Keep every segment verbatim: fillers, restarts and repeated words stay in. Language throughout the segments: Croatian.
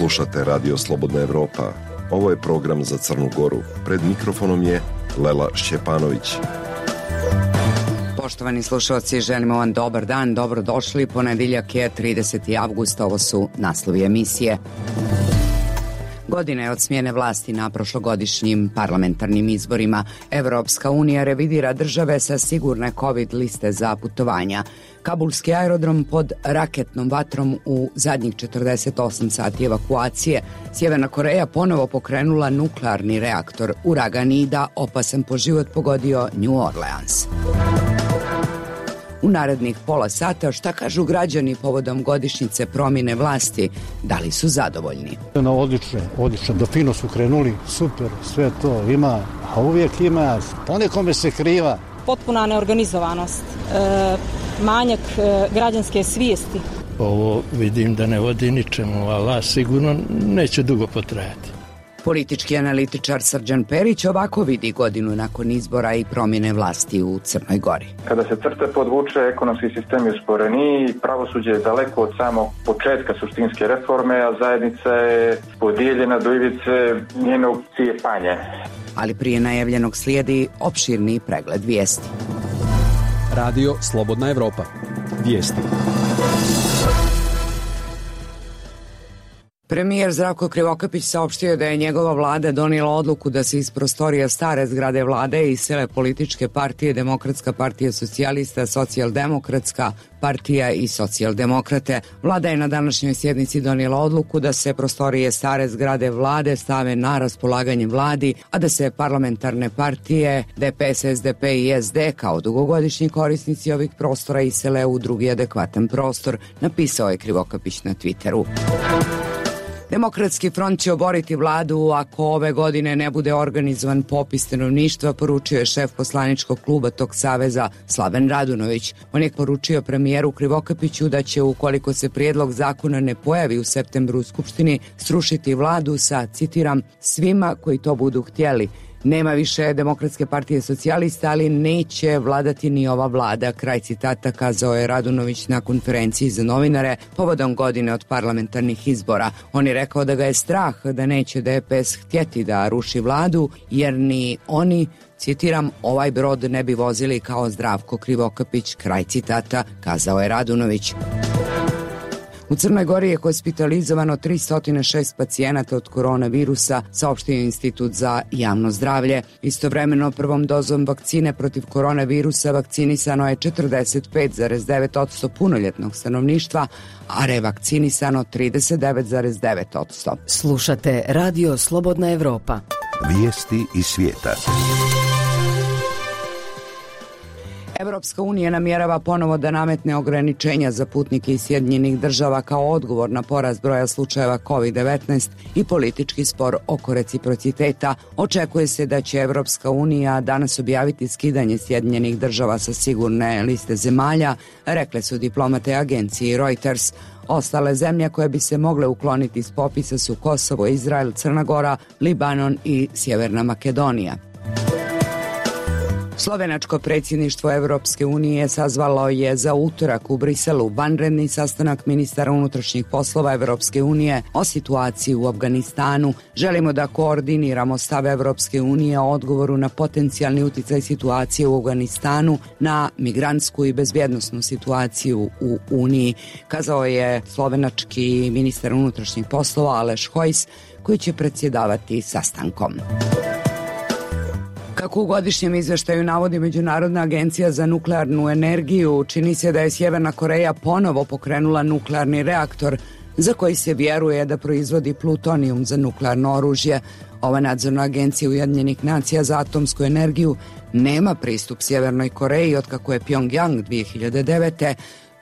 Slušate Radio Slobodna Evropa. Ovo je program za Crnu Goru. Pred mikrofonom je Lela Šćepanović. Poštovani slušalci, želimo vam dobar dan, dobrodošli. Ponedjeljak je trideseti avgust, ovo su naslovi emisije. Godine od smjene vlasti na prošlogodišnjim parlamentarnim izborima. Evropska unija revidira države sa sigurne COVID liste za putovanja. Kabulski aerodrom pod raketnom vatrom u zadnjih četrdeset osam sati evakuacije. Sjeverna Koreja ponovo pokrenula nuklearni reaktor. Uragan Ida, opasan po život, pogodio New Orleans. U narednih pola sata šta kažu građani povodom godišnjice promjene vlasti, da li su zadovoljni? No, odlično, odlično, do fino su krenuli, super, sve to ima, a uvijek ima, ponekome se kriva. Potpuna neorganizovanost, e, manjak e, građanske svijesti. Ovo vidim da ne vodi ničemu, ali sigurno neće dugo potrajati. Politički analitičar Srđan Perić ovako vidi godinu nakon izbora i promjene vlasti u Crnoj Gori. Kada se crte podvuče, ekonomski sistem je usporeniji, pravosuđe je daleko od samog početka suštinske reforme, a zajednica je podijeljena do ivice njenog cijepanja. Ali prije najavljenog slijedi opširni pregled vijesti. Radio Slobodna Evropa. Vijesti. Premijer Zdravko Krivokapić saopštio da je njegova vlada donijela odluku da se iz prostorija stare zgrade vlade isele političke partije Demokratska partija socijalista, Socijaldemokratska partija i Socijaldemokrate. Vlada je na današnjoj sjednici donijela odluku da se prostorije stare zgrade vlade stave na raspolaganje vladi, a da se parlamentarne partije D P S, S D P i S D kao dugogodišnji korisnici ovih prostora isele u drugi adekvatan prostor, napisao je Krivokapić na Twitteru. Demokratski front će oboriti vladu ako ove godine ne bude organizovan popis stanovništva, poručio je šef poslaničkog kluba tog saveza Slaven Radunović. On je poručio premijeru Krivokapiću da će, ukoliko se prijedlog zakona ne pojavi u septembru u Skupštini, srušiti vladu sa, citiram, svima koji to budu htjeli. Nema više Demokratske partije socijalista, ali neće vladati ni ova vlada, kraj citata, kazao je Radunović na konferenciji za novinare povodom godine od parlamentarnih izbora. On je rekao da ga je strah da neće D P S htjeti da ruši vladu, jer ni oni, citiram, ovaj brod ne bi vozili kao Zdravko Krivokapić, kraj citata, kazao je Radunović. U Crnoj Gori je hospitalizovano tristo šest pacijenata od koronavirusa, saopštio Institut za javno zdravlje. Istovremeno prvom dozom vakcine protiv koronavirusa vakcinisano je četrdeset pet zarez devet posto punoljetnog stanovništva, a revakcinisano trideset devet zarez devet posto. Slušate Radio Slobodna Evropa. Vijesti iz svijeta. Evropska unija namjerava ponovo da nametne ograničenja za putnike iz Sjedinjenih država kao odgovor na porast broja slučajeva kovid devetnaest i politički spor oko reciprociteta. Očekuje se da će Evropska unija danas objaviti skidanje Sjedinjenih država sa sigurne liste zemalja, rekle su diplomate agenciji Reuters. Ostale zemlje koje bi se mogle ukloniti iz popisa su Kosovo, Izrael, Crna Gora, Libanon i Sjeverna Makedonija. Slovenačko predsjedništvo Evropske unije sazvalo je za utorak u Briselu vanredni sastanak ministara unutrašnjih poslova Evropske unije o situaciji u Afganistanu. Želimo da koordiniramo stav Evropske unije o odgovoru na potencijalni uticaj situacije u Afganistanu na migrantsku i bezbjednosnu situaciju u Uniji, kazao je slovenački ministar unutrašnjih poslova Aleš Hojs, koji će predsjedavati sastankom. Kako u godišnjem izveštaju navodi Međunarodna agencija za nuklearnu energiju, čini se da je Sjeverna Koreja ponovo pokrenula nuklearni reaktor za koji se vjeruje da proizvodi plutonijum za nuklearno oružje. Ova nadzorna agencija Ujedinjenih nacija za atomsku energiju nema pristup Sjevernoj Koreji otkako je Pyongyang dvije hiljade devete.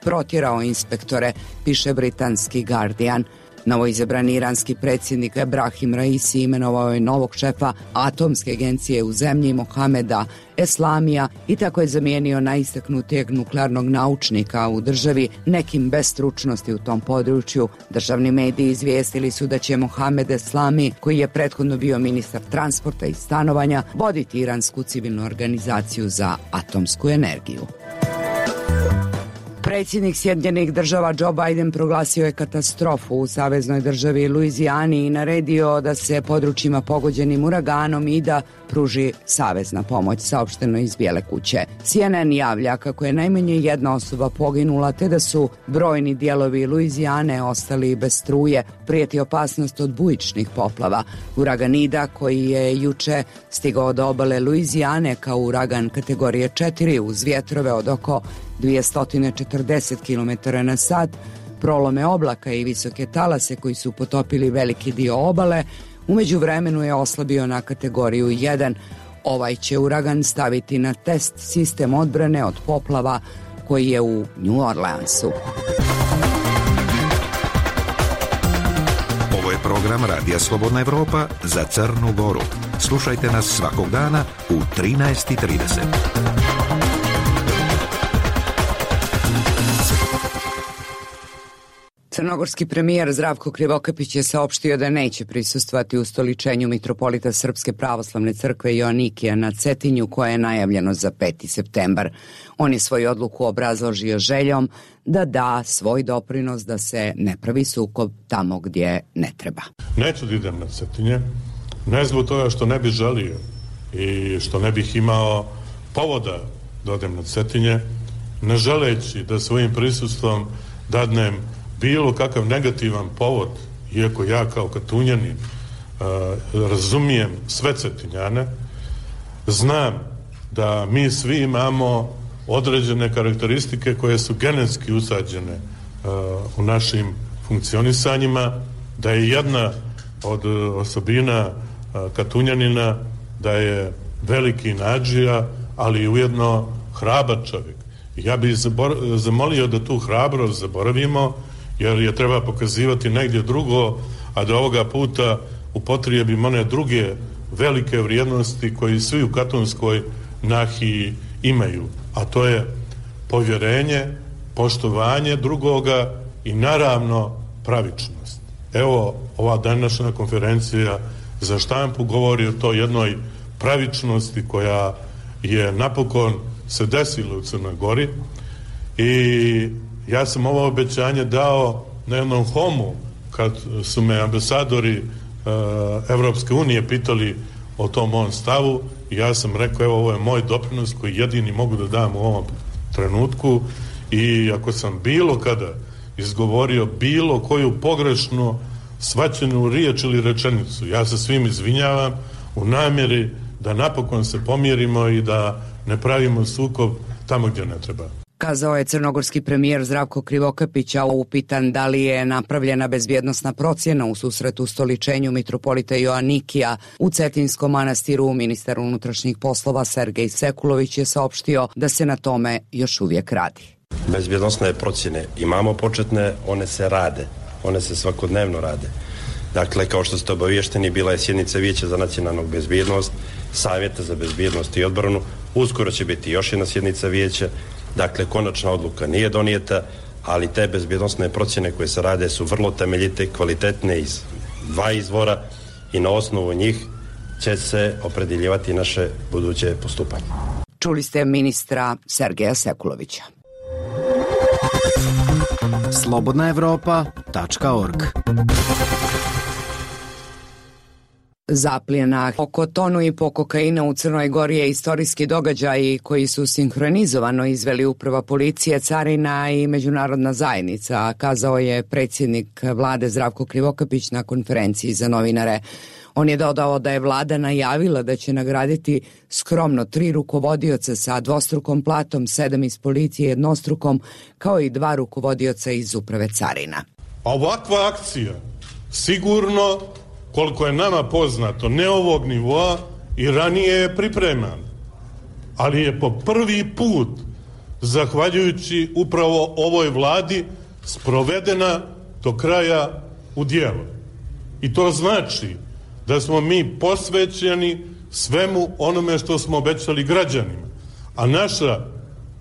protjerao inspektore, piše britanski Guardian. Novoizabrani iranski predsjednik Ebrahim Raisi imenovao je novog šefa atomske agencije u zemlji Mohameda Eslamija i tako je zamijenio najistaknutijeg nuklearnog naučnika u državi, nekim bez stručnosti u tom području. Državni mediji izvijestili su da će Mohamed Eslami, koji je prethodno bio ministar transporta i stanovanja, voditi iransku civilnu organizaciju za atomsku energiju. Predsjednik Sjedinjenih država Joe Biden proglasio je katastrofu u saveznoj državi Luizijani i naredio da se područjima pogođenim uraganom i da pruži savezna pomoć, saopšteno iz Bijele kuće. C N N javlja kako je najmanje jedna osoba poginula te da su brojni dijelovi Luizijane ostali bez struje. Prijeti opasnost od bujičnih poplava. Uragan Ida, koji je juče stigao do obale Luizijane kao uragan kategorije četiri uz vjetrove od oko dvjesto četrdeset kilometara na sat, prolome oblaka i visoke talase koji su potopili veliki dio obale, u međuvremenu je oslabio na kategoriju jedan. Ovaj će uragan staviti na test sistem odbrane od poplava koji je u New Orleansu. Ovo je program Radija Slobodna Evropa za Crnu Goru. Slušajte nas svakog dana u trinaest i trideset. Crnogorski premijer Zdravko Krivokapić je saopštio da neće prisustvovati ustoličenju mitropolita Srpske pravoslavne crkve Joanikija na Cetinju, koje je najavljeno za peti septembar. On je svoju odluku obrazložio željom da da svoj doprinos da se ne pravi sukob tamo gdje ne treba. Neću da idem na Cetinje, ne zbog toga što ne bih želio i što ne bih imao povoda da odem na Cetinje, ne želeći da svojim prisustvom dadnem bilo kakav negativan povod, iako ja kao Katunjanin uh, razumijem sve Cetinjane, znam da mi svi imamo određene karakteristike koje su genetski usađene uh, u našim funkcionisanjima, da je jedna od osobina uh, Katunjanina da je veliki nadžija, ali ujedno hrabar čovjek. Ja bih zabor- zamolio da tu hrabrost zaboravimo, jer je treba pokazivati negdje drugo, a da ovoga puta upotrijebimo one druge velike vrijednosti koji svi u katonskoj nahiji imaju, a to je povjerenje, poštovanje drugoga i naravno pravičnost. Evo, ova današnja konferencija za štampu govori o toj jednoj pravičnosti koja je napokon se desila u Crnoj Gori i ja sam ovo obećanje dao na jednom homu kad su me ambasadori uh, Evropske unije pitali o tom mom stavu i ja sam rekao evo ovo je moj doprinos koji jedini mogu da dam u ovom trenutku i ako sam bilo kada izgovorio bilo koju pogrešnu shvaćenu riječ ili rečenicu, ja se svim izvinjavam u namjeri da napokon se pomjerimo i da ne pravimo sukob tamo gdje ne treba. Kazao je crnogorski premijer Zdravko Krivokapić, a upitan da li je napravljena bezbjednosna procjena u susretu ustoličenju mitropolita Joanikija u Cetinskom manastiru, ministar unutrašnjih poslova Sergej Sekulović je saopštio da se na tome još uvijek radi. Bezbjednosne procjene imamo početne, one se rade, one se svakodnevno rade. Dakle, kao što ste obavješteni, bila je sjednica Vijeća za nacionalnu bezbjednost, Savjeta za bezbjednost i odbranu, uskoro će biti još jedna sjednica Vijeća. Dakle, konačna odluka nije donijeta, ali te bezbjednosne procjene koje se rade su vrlo temeljite, kvalitetne iz dva izvora i na osnovu njih će se opredjeljivati naše buduće postupanje. Čuli ste ministra Sergeja Sekulovića. slobodna evropa tačka org. Zapljena oko tonu i po kokaina u Crnoj Gori je istorijski događaj koji su sinhronizovano izveli uprava policije, carina i međunarodna zajednica, kazao je predsjednik vlade Zdravko Krivokapić na konferenciji za novinare. On je dodao da je vlada najavila da će nagraditi skromno tri rukovodioca sa dvostrukom platom, sedam iz policije jednostrukom, kao i dva rukovodioca iz uprave carina. Ovakva akcija sigurno, koliko je nama poznato, ne ovog nivoa i ranije je pripreman, ali je po prvi put, zahvaljujući upravo ovoj vladi, sprovedena do kraja u djelo. I to znači da smo mi posvećeni svemu onome što smo obećali građanima. A naša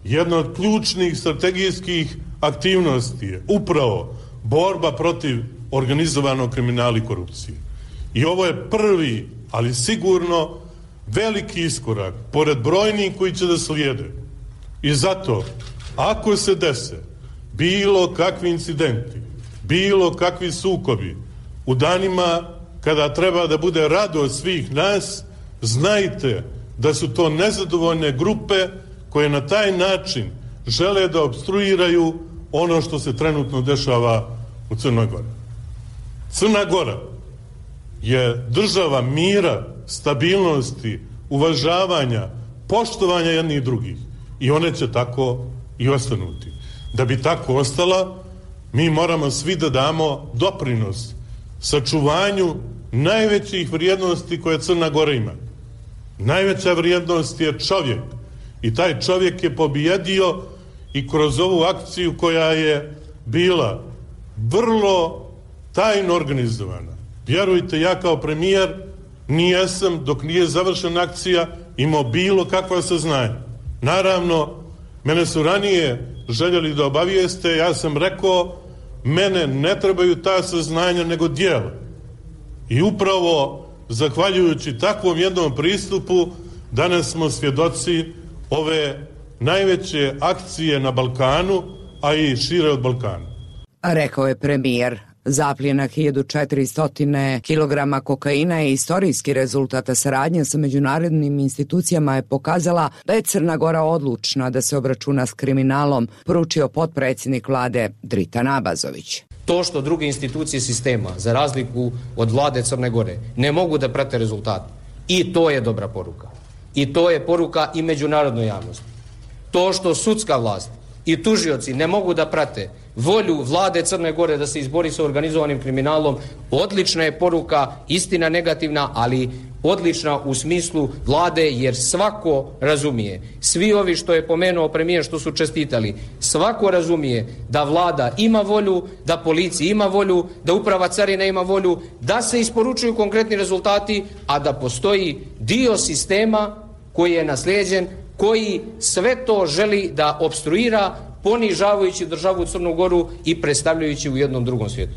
jedna od ključnih strategijskih aktivnosti je upravo borba protiv organizovanog kriminala i korupcije. I ovo je prvi, ali sigurno veliki iskorak, pored brojnih koji će da slijede. I zato, ako se dese bilo kakvi incidenti, bilo kakvi sukobi, u danima kada treba da bude radost svih nas, znajte da su to nezadovoljne grupe koje na taj način žele da opstruiraju ono što se trenutno dešava u Crnoj Gori. Crna Gora je država mira, stabilnosti, uvažavanja, poštovanja jednih i drugih. I one će tako i ostanuti. Da bi tako ostala, mi moramo svi da damo doprinos sačuvanju najvećih vrijednosti koje Crna Gora ima. Najveća vrijednost je čovjek. I taj čovjek je pobjedio i kroz ovu akciju koja je bila vrlo tajno organizovana. Vjerujte, ja kao premijer nijesam, dok nije završena akcija, imao bilo kakva saznanja. Naravno, mene su ranije željeli da obavijeste, ja sam rekao, mene ne trebaju ta saznanja nego djela. I upravo, zahvaljujući takvom jednom pristupu, danas smo svjedoci ove najveće akcije na Balkanu, a i šire od Balkana. Rekao je premijer. Zapljena hiljadu četiristo kilograma kokaina i istorijski rezultata saradnje sa međunarodnim institucijama je pokazala da je Crna Gora odlučna da se obračuna s kriminalom, poručio potpredsjednik vlade Dritan Abazović. To što druge institucije sistema, za razliku od vlade Crne Gore, ne mogu da prate rezultate. I to je dobra poruka. I to je poruka i međunarodnoj javnosti. To što sudska vlast i tužioci ne mogu da prate volju vlade Crne Gore da se izbori sa organizovanim kriminalom, odlična je poruka, istina negativna, ali odlična u smislu vlade, jer svako razumije, svi ovi što je pomenuo premijer što su čestitali, svako razumije da vlada ima volju, da policija ima volju, da uprava carina ima volju, da se isporučuju konkretni rezultati, a da postoji dio sistema koji je naslijeđen, koji sve to želi da opstruira, ponižavajući državu Crnu Goru i predstavljajući u jednom drugom svijetu.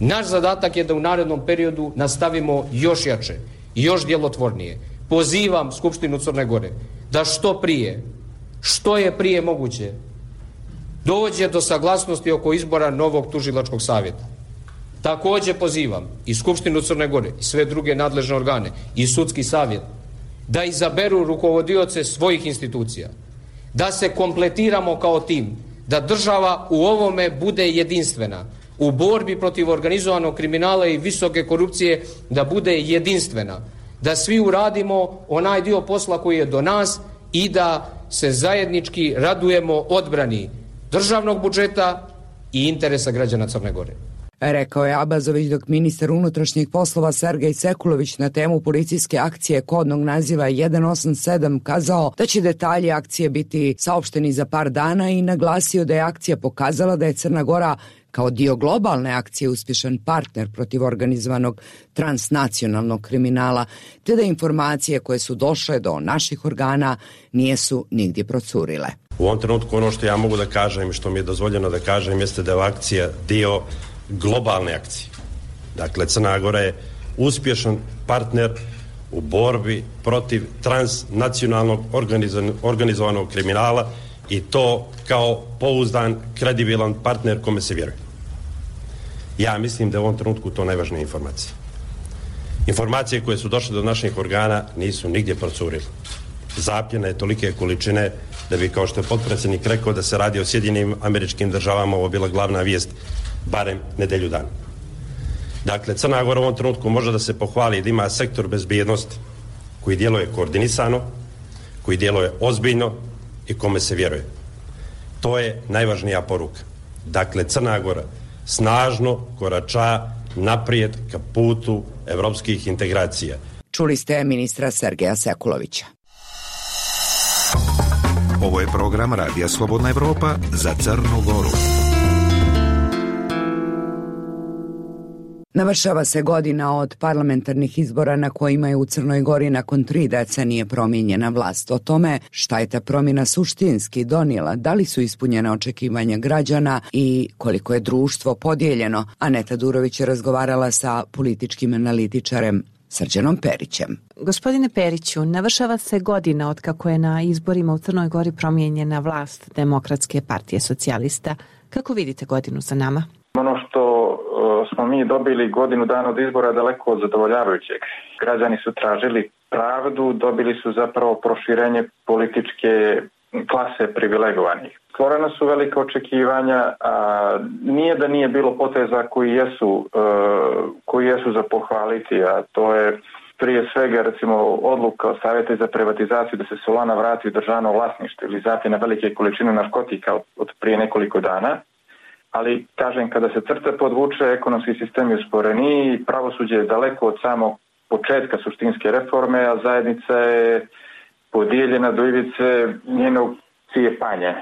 Naš zadatak je da u narednom periodu nastavimo još jače, još djelotvornije. Pozivam Skupštinu Crne Gore da što prije, što je prije moguće, dođe do saglasnosti oko izbora novog tužilačkog savjeta. Također pozivam i Skupštinu Crne Gore i sve druge nadležne organe i sudski savjet da izaberu rukovodioce svojih institucija, da se kompletiramo kao tim, da država u ovome bude jedinstvena, u borbi protiv organizovanog kriminala i visoke korupcije da bude jedinstvena, da svi uradimo onaj dio posla koji je do nas i da se zajednički radujemo odbrani državnog budžeta i interesa građana Crne Gore. Rekao je Abazović, dok ministar unutrašnjih poslova Sergej Sekulović na temu policijske akcije kodnog naziva jedan osam sedam kazao da će detalji akcije biti saopšteni za par dana i naglasio da je akcija pokazala da je Crna Gora kao dio globalne akcije uspješan partner protiv organizovanog transnacionalnog kriminala, te da informacije koje su došle do naših organa nijesu nigdje procurile. U ovom trenutku ono što ja mogu da kažem i što mi je dozvoljeno da kažem jeste da je akcija dio globalne akcije. Dakle, Crna Gora je uspješan partner u borbi protiv transnacionalnog organizovanog kriminala i to kao pouzdan, kredibilan partner kome se vjeruje. Ja mislim da je u ovom trenutku to najvažnija informacija. Informacije koje su došle do naših organa nisu nigdje procurile. Zapljena je tolike količine da bi, kao što je potpredsjednik rekao, da se radi o Sjedinjenim Američkim Državama, ovo bila glavna vijest barem nedelju dana. Dakle, Crna Gora u ovom trenutku može da se pohvali da ima sektor bezbjednosti koji djeluje koordinisano, koji djeluje ozbiljno i kome se vjeruje. To je najvažnija poruka. Dakle, Crna Gora snažno korača naprijed ka putu evropskih integracija. Čuli ste ministra Sergeja Sekulovića. Ovo je program Radija Slobodna Evropa za Crnu Goru. Navršava se godina od parlamentarnih izbora na kojima je u Crnoj Gori nakon tri decenije promijenjena vlast. O tome šta je ta promjena suštinski donijela, da li su ispunjena očekivanja građana i koliko je društvo podijeljeno. Aneta Durović je razgovarala sa političkim analitičarem Srđanom Perićem. Gospodine Periću, navršava se godina od kako je na izborima u Crnoj Gori promijenjena vlast Demokratske partije socijalista. Kako vidite godinu za nama? Ono što smo mi dobili godinu dana od izbora daleko od zadovoljavajućeg. Građani su tražili pravdu, dobili su zapravo proširenje političke klase privilegovanih. Stvorena su velike očekivanja, a nije da nije bilo poteza koji jesu, koji jesu za pohvaliti, a to je prije svega recimo odluka Savjeta za privatizaciju da se Solana vrati u državno vlasništvo ili zatim na velike količine narkotika od prije nekoliko dana. Ali, kažem, kada se crta podvuče, ekonomski sistem je usporeniji, pravosuđe je daleko od samog početka suštinske reforme, a zajednica je podijeljena do ivice njenog cijepanja.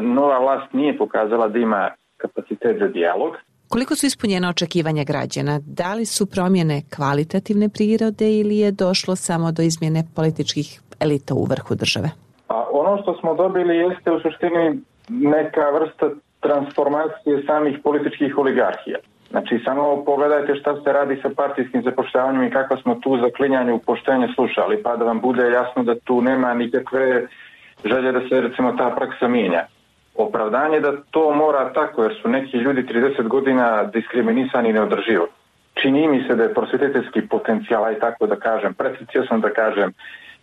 Nova vlast nije pokazala da ima kapacitet za dijalog. Koliko su ispunjena očekivanja građana? Da li su promjene kvalitativne prirode ili je došlo samo do izmjene političkih elita u vrhu države? A ono što smo dobili jeste u suštini neka vrsta transformacije samih političkih oligarhija. Znači, samo pogledajte šta se radi sa partijskim zapošljavanjem i kako smo tu za klinjanje u poštenje slušali, pa da vam bude jasno da tu nema nikakve želje da se, recimo, ta praksa mijenja. Opravdanje da to mora tako, jer su neki ljudi trideset godina diskriminisani i neodrživo. Čini mi se da je prosvjetiteljski potencijal, aj tako da kažem, pretencijozno da kažem,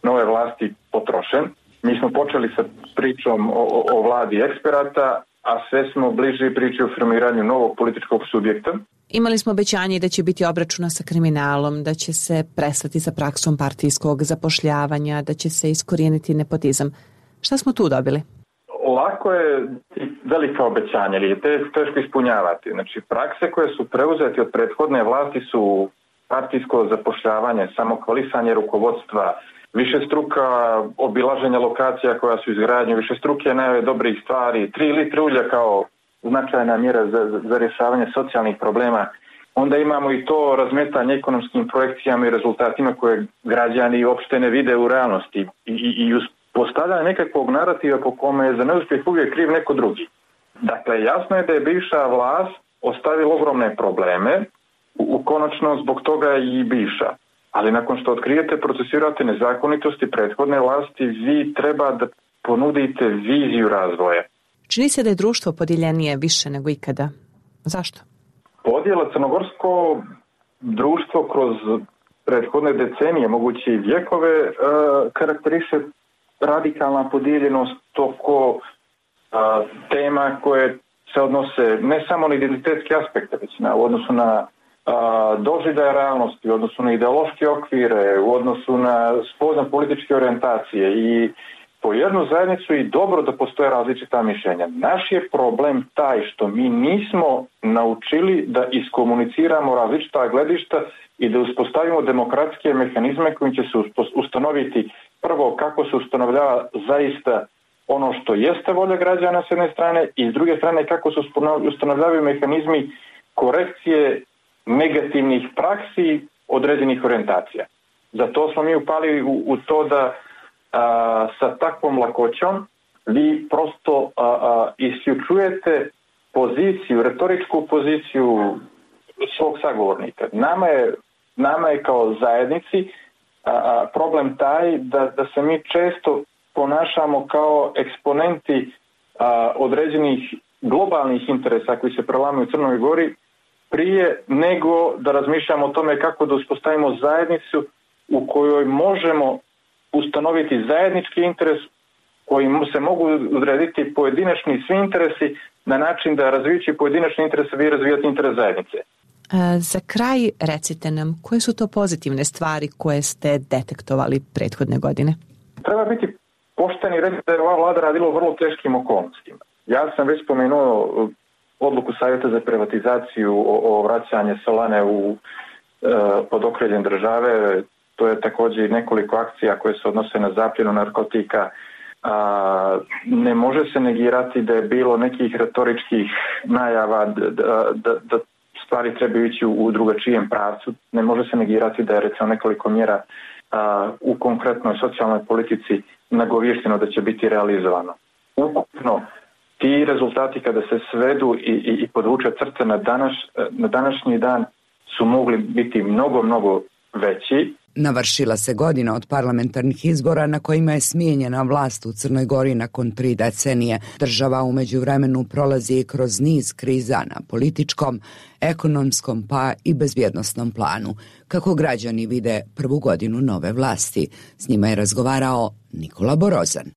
nove vlasti potrošen. Mi smo počeli sa pričom o, o, o vladi eksperata, a sve smo bliži priči o formiranju novog političkog subjekta. Imali smo obećanje da će biti obračuna sa kriminalom, da će se prestati sa praksom partijskog zapošljavanja, da će se iskorijeniti nepotizam. Šta smo tu dobili? Lako je velika obećanja, ali je teško ispunjavati. Znači, prakse koje su preuzeti od prethodne vlasti su partijsko zapošljavanje, samokvalisanje rukovodstva, više struka obilaženja lokacija koja su izgradnje, više struke najave dobrih stvari, tri litre ulja kao značajna mjera za, za, za rješavanje socijalnih problema. Onda imamo i to razmetanje ekonomskim projekcijama i rezultatima koje građani uopšte ne vide u realnosti i, i, i uspostavljanje nekakvog narativa po kome je za neuspjeh uvijek kriv neko drugi. Dakle, jasno je da je bivša vlast ostavila ogromne probleme, u, u konačno zbog toga i bivša. Ali nakon što otkrijete, procesirate nezakonitosti prethodne vlasti, vi treba da ponudite viziju razvoja. Čini se da je društvo podijeljenije više nego ikada. Zašto? Podjela crnogorsko društvo kroz prethodne decenije, moguće i vjekove, e, karakteriše radikalna podijeljenost oko e, tema koje se odnose ne samo na identitetske aspekte, već na, u odnosu na doživljaja realnosti, u odnosu na ideološke okvire, u odnosu na spoznat političke orijentacije i po jednu zajednicu i dobro da postoje različita mišljenja. Naš je problem taj što mi nismo naučili da iskomuniciramo različita gledišta i da uspostavimo demokratske mehanizme kojim će se ustanoviti prvo kako se ustanovljava zaista ono što jeste volja građana s jedne strane i s druge strane kako se ustanovljavaju mehanizmi korekcije negativnih praksi određenih orijentacija. Zato smo mi upali u, u to da a, sa takvom lakoćom vi prosto a, a, isključujete poziciju, retoričku poziciju svog sagovornika. Nama je, nama je kao zajednici a, a, problem taj da, da se mi često ponašamo kao eksponenti a, određenih globalnih interesa koji se prelamaju u Crnoj Gori prije nego da razmišljamo o tome kako da uspostavimo zajednicu u kojoj možemo ustanoviti zajednički interes koji se mogu odrediti pojedinačni svi interesi na način da razvijući pojedinačni interes vi razvijate interes zajednice. Za kraj recite nam koje su to pozitivne stvari koje ste detektovali prethodne godine? Treba biti pošten i reći da je ova vlada radila u vrlo teškim okolnostima. Ja sam već spomenuo odluku Savjeta za privatizaciju o, o vraćanje Solane u, e, pod okriljem države. To je također nekoliko akcija koje se odnose na zapljenu narkotika. A, ne može se negirati da je bilo nekih retoričkih najava da, da, da, da stvari trebaju ići u, u drugačijem pravcu. Ne može se negirati da je recimo nekoliko mjera a, u konkretnoj socijalnoj politici nagovješteno da će biti realizovano. Ukupno ti rezultati kada se svedu i, i, i podvuče crte na, danas, na današnji dan su mogli biti mnogo, mnogo veći. Navršila se godina od parlamentarnih izbora na kojima je smijenjena vlast u Crnoj Gori nakon tri decenije. Država u međuvremenu prolazi kroz niz kriza na političkom, ekonomskom pa i bezbjednosnom planu. Kako građani vide prvu godinu nove vlasti? S njima je razgovarao Nikola Borozan.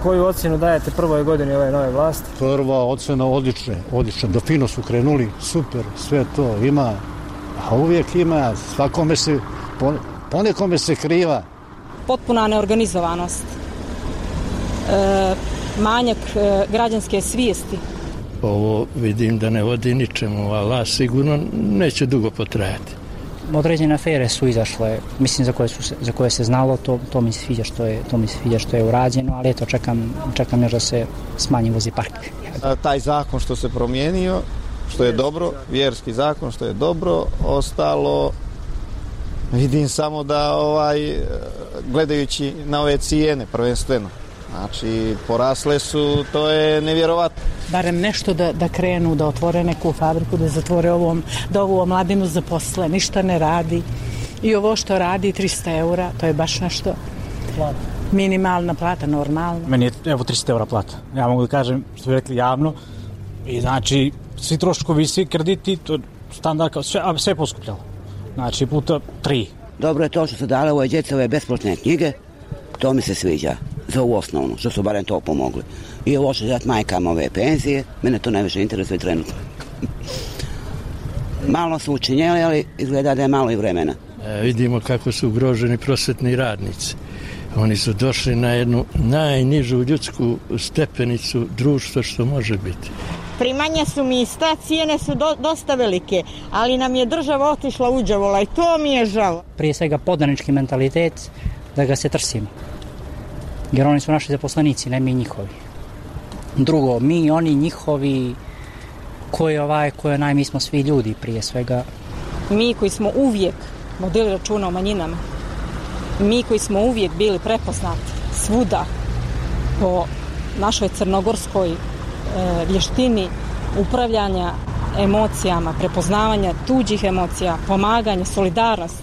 Koju ocjenu dajete prvoj godini ove nove vlasti? Prva ocjena odlična, odlična. Da fino su krenuli, super, sve to ima, a uvijek ima, svakome se, ponekome se kriva. Potpuna neorganizovanost, e, manjak e, građanske svijesti. Ovo vidim da ne vodi ničemu, ali sigurno neće dugo potrajati. Određene afere su izašle, mislim za koje, su, za koje se znalo, to, to mi se sviđa što je, to mi se sviđa što je urađeno, ali eto čekam, čekam još da se smanji vozni park. Taj zakon što se promijenio, što je dobro, vjerski zakon što je dobro, ostalo vidim samo da ovaj gledajući na ove cijene prvenstveno. Znači, porasle su, to je nevjerovatno. Barem nešto da, da krenu, da otvore neku fabriku, da zatvore ovom, da ovu mladinu zaposle, ništa ne radi. I ovo što radi, trista eura, to je baš nešto. Plata. Minimalna plata, normalna. Meni je, evo, trista eura plata. Ja mogu da kažem, što bi rekli javno, i znači, svi troškovi, svi krediti, to standard, sve, sve poskupljalo. Znači, puta tri. Dobro je to što su dale ove djece, ove besplatne knjige, to mi se sviđa. Za ovu osnovnu, što su barem to pomogli. I ovo što dati majkama ove penzije, mene to najviše interesuje trenutno. Malo su učinjeli, ali izgleda da je malo i vremena. E, vidimo kako su ugroženi prosvetni radnici. Oni su došli na jednu najnižu ljudsku stepenicu društva što može biti. Primanja su mi ista, cijene su do, dosta velike, ali nam je država otišla uđavola i to mi je žao. Prije svega podanički mentalitet, da ga se trsimo. Jer oni su naši zaposlenici, ne mi njihovi. Drugo, mi, oni, njihovi, ko je ovaj, ko je naj, mi smo svi ljudi prije svega. Mi koji smo uvijek vodili računa o manjinama, mi koji smo uvijek bili prepoznati svuda po našoj crnogorskoj e, vještini upravljanja emocijama, prepoznavanja tuđih emocija, pomaganja, solidarnost,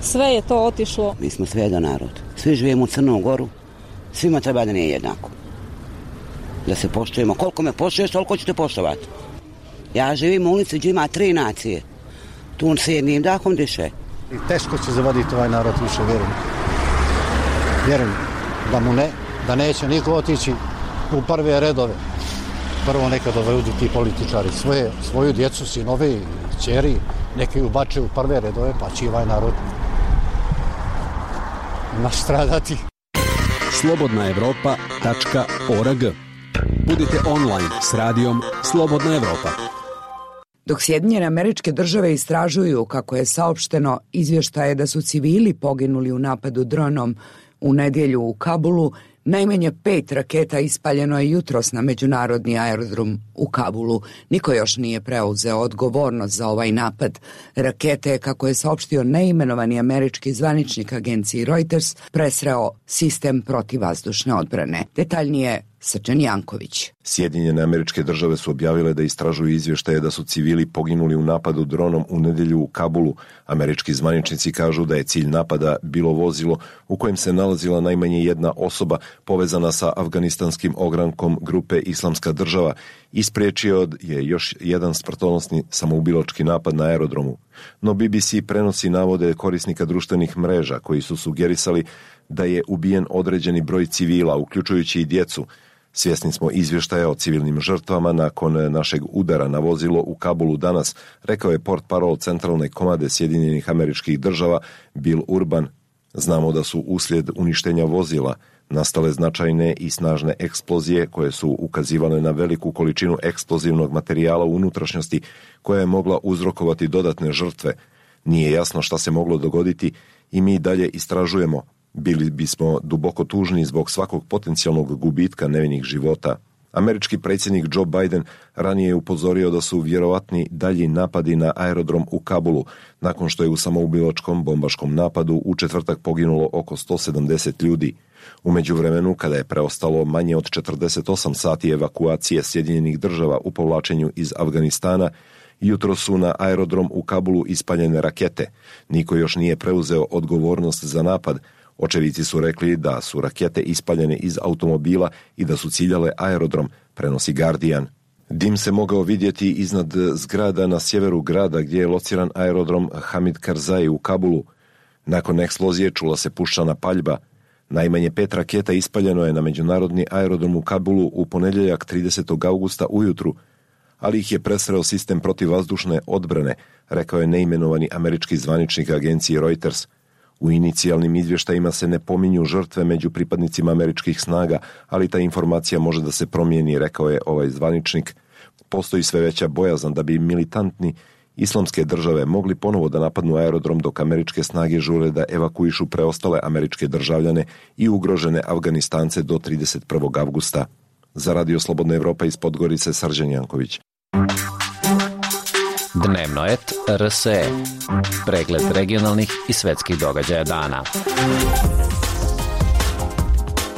sve je to otišlo. Mi smo sve jedan narod, svi živimo u Crnom Goru. Svima treba da nije jednako. Da se poštujemo. Koliko me poštuješ, toliko ćete poštovati. Ja živim u ulici gdje ima tri nacije. Tu se jednim dahom diše. I teško će zavaditi ovaj narod više, vjerujem. Vjerujem da mu ne, da neće niko otići u prve redove. Prvo neka dovedu ti političari svoje, svoju djecu, sinove i ćeri, neke ubače u prve redove, pa će ovaj narod nastradati. slobodna evropa tačka org. Budite online s radijom Slobodna Evropa. Dok Sjedinjene Američke Države istražuju, kako je saopšteno, izvještaje da su civili poginuli u napadu dronom u nedjelju u Kabulu, najmanje pet raketa ispaljeno je jutros na međunarodni aerodrom u Kabulu. Niko još nije preuzeo odgovornost za ovaj napad. Rakete, kako je saopštio neimenovani američki zvaničnik agenciji Reuters, presreo sistem protivvazdušne odbrane. Detaljnije Srđan Janković. Sjedinjene Američke Države su objavile da istražuju izvještaje da su civili poginuli u napadu dronom u nedjelju u Kabulu. Američki zvaničnici kažu da je cilj napada bilo vozilo u kojem se nalazila najmanje jedna osoba povezana sa afganistanskim ogrankom grupe Islamska država i spriječio je još jedan smrtonosni samoubilački napad na aerodromu. No B B C prenosi navode korisnika društvenih mreža koji su sugerisali da je ubijen određeni broj civila, uključujući i djecu. Svjesni smo izvještaja o civilnim žrtvama nakon našeg udara na vozilo u Kabulu danas, rekao je portparol centralne komande Sjedinjenih Američkih Država Bill Urban. Znamo da su uslijed uništenja vozila nastale značajne i snažne eksplozije koje su ukazivale na veliku količinu eksplozivnog materijala u unutrašnjosti koja je mogla uzrokovati dodatne žrtve. Nije jasno šta se moglo dogoditi i mi dalje istražujemo. Bili bismo duboko tužni zbog svakog potencijalnog gubitka nevinih života. Američki predsjednik Joe Biden ranije je upozorio da su vjerovatni dalji napadi na aerodrom u Kabulu, nakon što je u samoubilačkom bombaškom napadu u četvrtak poginulo oko sto sedamdeset ljudi. U međuvremenu, kada je preostalo manje od četrdeset osam sati evakuacije Sjedinjenih Država u povlačenju iz Afganistana, Jutro su na aerodrom u Kabulu ispaljene rakete. Niko još nije preuzeo odgovornost za napad. Očevici su rekli da su rakete ispaljene iz automobila i da su ciljale aerodrom, prenosi Guardian. Dim se mogao vidjeti iznad zgrada na sjeveru grada gdje je lociran aerodrom Hamid Karzai u Kabulu. Nakon eksplozije čula se puščana paljba. Najmanje pet raketa ispaljeno je na međunarodni aerodrom u Kabulu u ponedjeljak tridesetog augusta ujutru, ali ih je presreo sistem protivvazdušne odbrane, rekao je neimenovani američki zvaničnik agencije Reuters. U inicijalnim izvještajima se ne pominju žrtve među pripadnicima američkih snaga, ali ta informacija može da se promijeni, rekao je ovaj zvaničnik. Postoji sve veća bojazan da bi militantni islamske države mogli ponovo da napadnu aerodrom dok američke snage žure da evakuišu preostale američke državljane i ugrožene Afganistance do trideset prvog avgusta. Za Radio Slobodna Evropa iz Podgorice, Srđan Janković. Dnevnoet R S E. Pregled regionalnih i svetskih događaja dana.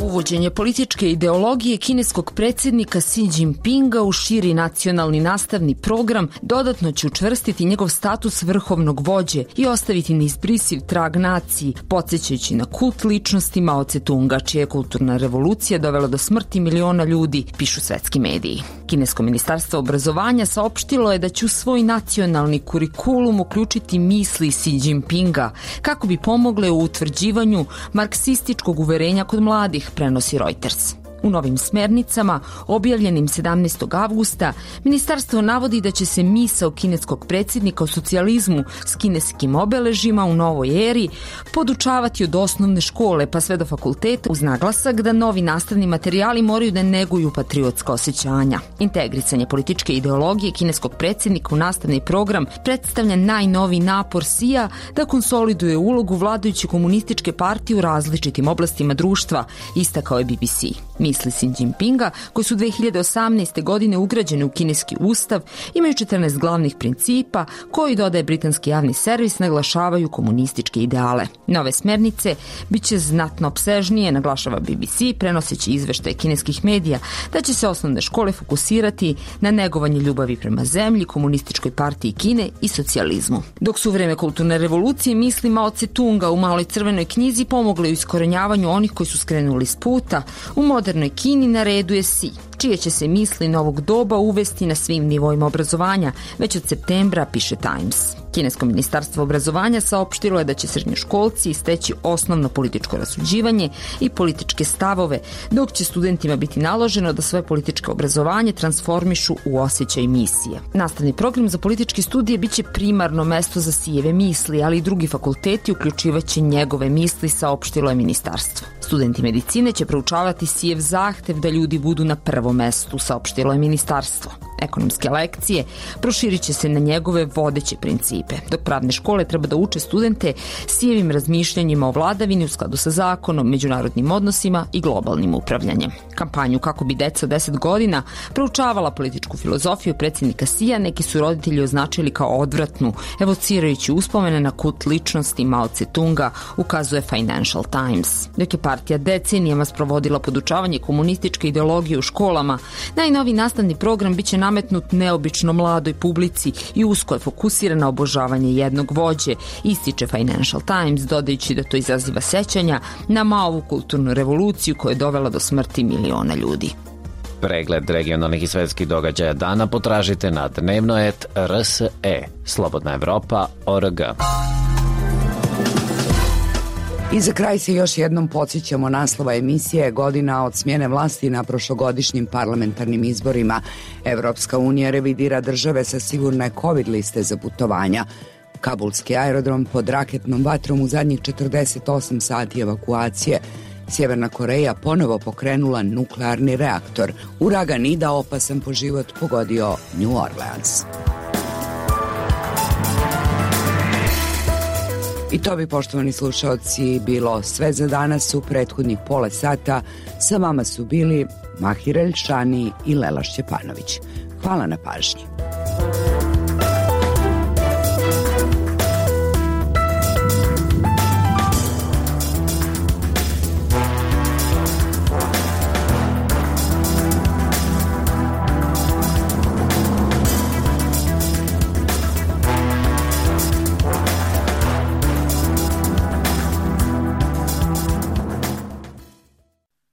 Uvođenje političke ideologije kineskog predsjednika Xi Jinpinga u širi nacionalni nastavni program dodatno će učvrstiti njegov status vrhovnog vođe i ostaviti neizbrisiv trag naciji, podsjećajući na kult ličnosti Mao Tse-tunga, čija je kulturna revolucija dovela do smrti miliona ljudi, pišu svetski mediji. Kinesko ministarstvo obrazovanja saopštilo je da će u svoj nacionalni kurikulum uključiti misli Xi Jinpinga kako bi pomogle u utvrđivanju marksističkog uverenja kod mladih, prenosi Reuters. U novim smernicama, objavljenim sedamnaestog avgusta, ministarstvo navodi da će se misao kineskog predsjednika o socijalizmu s kineskim obeležima u novoj eri podučavati od osnovne škole pa sve do fakulteta, uz naglasak da novi nastavni materijali moraju da neguju patriotska osjećanja. Integrisanje političke ideologije kineskog predsjednika u nastavni program predstavlja najnoviji napor Xija da konsoliduje ulogu vladajuće komunističke partije u različitim oblastima društva, istakao je B B C. Misli Xi Jinpinga, koji su dve hiljade osamnaeste. godine ugrađene u kineski ustav, imaju četrnaest glavnih principa koji, dodaje britanski javni servis, naglašavaju komunističke ideale. Nove smernice biće znatno opsežnije, naglašava B B C, prenoseći izveštaje kineskih medija da će se osnovne škole fokusirati na negovanje ljubavi prema zemlji, komunističkoj partiji Kine i socijalizmu. Dok su u vreme kulturne revolucije misli Mao Tse-tunga u Maloj crvenoj knjizi pomogle u iskorenjavanju onih koji su skrenuli s puta, u modernoj Kini na redu je Xi, čije će se misli novog doba uvesti na svim nivoima obrazovanja, već od septembra, piše Times. Kinesko ministarstvo obrazovanja saopštilo je da će srednjoškolci steći osnovno političko rasuđivanje i političke stavove, dok će studentima biti naloženo da svoje političko obrazovanje transformišu u osjećaj misije. Nastavni program za političke studije biće primarno mesto za Xijeve misli, ali i drugi fakulteti uključivaće njegove misli, saopštilo je ministarstvo. Studenti medicine će proučavati Xijev zahtev da ljudi budu na prvom mestu, saopštilo je ministarstvo. Ekonomske lekcije proširit će se na njegove vodeće principe, dok pravne škole treba da uče studente Xijevim razmišljanjima o vladavini u skladu sa zakonom, međunarodnim odnosima i globalnim upravljanjem. Kampanju kako bi deca od deset godina proučavala političku filozofiju predsjednika Xija neki su roditelji označili kao odvratnu, evocirajući uspomene na kult ličnosti Mao Tse-tunga, ukazuje Financial Times. Dok je partija decenijama sprovodila podučavanje komunističke ideologije u školama, najnoviji nastavni program biće nametnut neobično mladoj publici i usko je fokusiran na obožavanje jednog vođe, ističe Financial Times, dodajući da to izaziva sećanja na Maovu kulturnu revoluciju koja je dovela do smrti miliona ljudi. Pregled regionalnih i svetskih događaja dana potražite na dnevnoet R S E. Slobodna Evropa org. I za kraj se još jednom podsjećamo naslova emisije Godina od smjene vlasti na prošlogodišnjim parlamentarnim izborima. Evropska unija revidira države sa sigurne COVID liste za putovanja. Kabulski aerodrom pod raketnom vatrom u zadnjih četrdeset osam sati evakuacije. Sjeverna Koreja ponovo pokrenula nuklearni reaktor. Uragan Ida, opasan po život, pogodio New Orleans. I to bi, poštovani slušalci, bilo sve za danas. U prethodnih pola sata sa vama su bili Mahir Elšani i Lela Šćepanović. Hvala na pažnji.